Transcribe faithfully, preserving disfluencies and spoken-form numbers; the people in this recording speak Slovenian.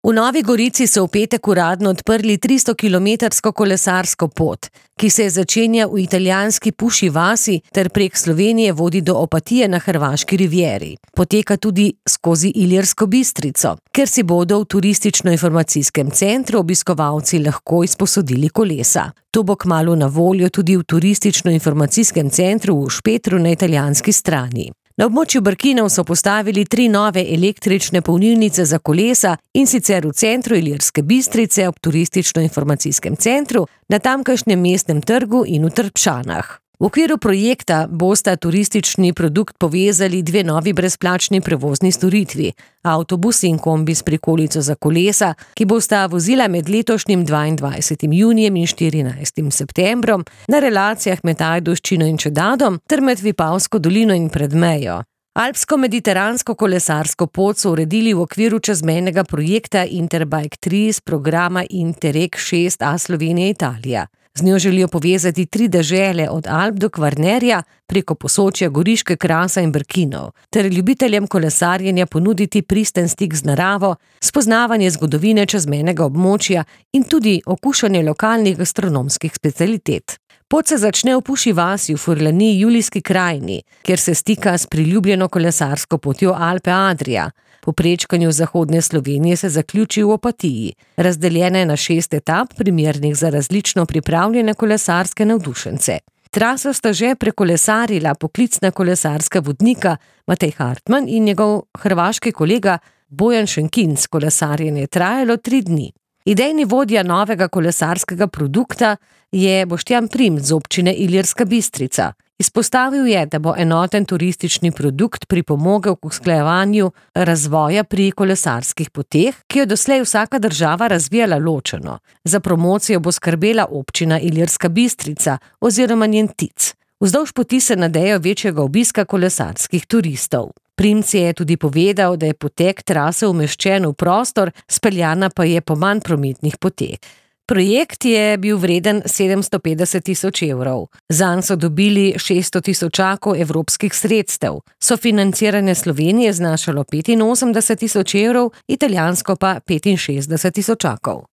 V Novi Gorici so v petek uradno odprli tristokilometrsko kolesarsko pot, ki se začenja v italijanski Puši vasi ter prek Slovenije vodi do Opatije na hrvaški rivieri. Poteka tudi skozi Ilirsko Bistrico, ker si bodo v turistično-informacijskem centru obiskovalci lahko izposodili kolesa. To bo kmalu na voljo tudi v turistično-informacijskem centru v Špetru na italijanski strani. Na območju Brkinov so postavili tri nove električne polnilnice za kolesa, in sicer v centru Ilirske Bistrice ob turistično-informacijskem centru, na tamkajšnjem mestnem trgu in v Trpšanah. V okviru projekta bosta turistični produkt povezali dve novi brezplačni prevozni storitvi, avtobus in kombi s prikolico za kolesa, ki bosta vozila med letošnjim dvaindvajsetim junijem in štirinajstim septembrom na relacijah med Ajdovščino in Čedadom ter med Vipavsko dolino in Predmejo. Alpsko-mediteransko kolesarsko pot so uredili v okviru čezmejnega projekta Interbike tri iz programa Interreg šest A Slovenija-Italija. Z njo želijo povezati tri dežele od Alp do Kvarnerja preko Posočja, Goriške, Krasa in Brkinov, ter ljubiteljem kolesarjenja ponuditi pristen stik z naravo, spoznavanje zgodovine čezmejnega območja in tudi okušanje lokalnih gastronomskih specialitet. Pot se začne v Puši vasi v Furlaniji Julijski krajini, kjer se stika s priljubljeno kolesarsko potjo Alpe Adria. Po prečkanju zahodne Slovenije se zaključi v Opatiji, razdeljene na šest etap, primernih za različno pripravljene kolesarske navdušence. Traso sta že prekolesarila poklicna kolesarska vodnika Matej Hartman in njegov hrvaški kolega Bojan Šenkinc. Kolesarjenje je trajalo tri dni. Idejni vodja novega kolesarskega produkta je Boštjan Primc z občine Ilirska Bistrica. Izpostavil je, da bo enoten turistični produkt pripomogel k usklajevanju razvoja pri kolesarskih poteh, ki jo doslej vsaka država razvijala ločeno. Za promocijo bo skrbela občina Ilirska Bistrica oziroma njen T I C. Vzdolž poti se nadejo večjega obiska kolesarskih turistov. Primc je tudi povedal, da je potek trase umeščen v prostor, speljana pa je po manj prometnih poteh. Projekt je bil vreden sedemsto petdeset tisoč evrov. Zanj so dobili šeststo tisočakov evropskih sredstev. Sofinanciranje Slovenije znašalo petinosemdeset tisoč evrov, italijansko pa petinšestdeset tisočakov.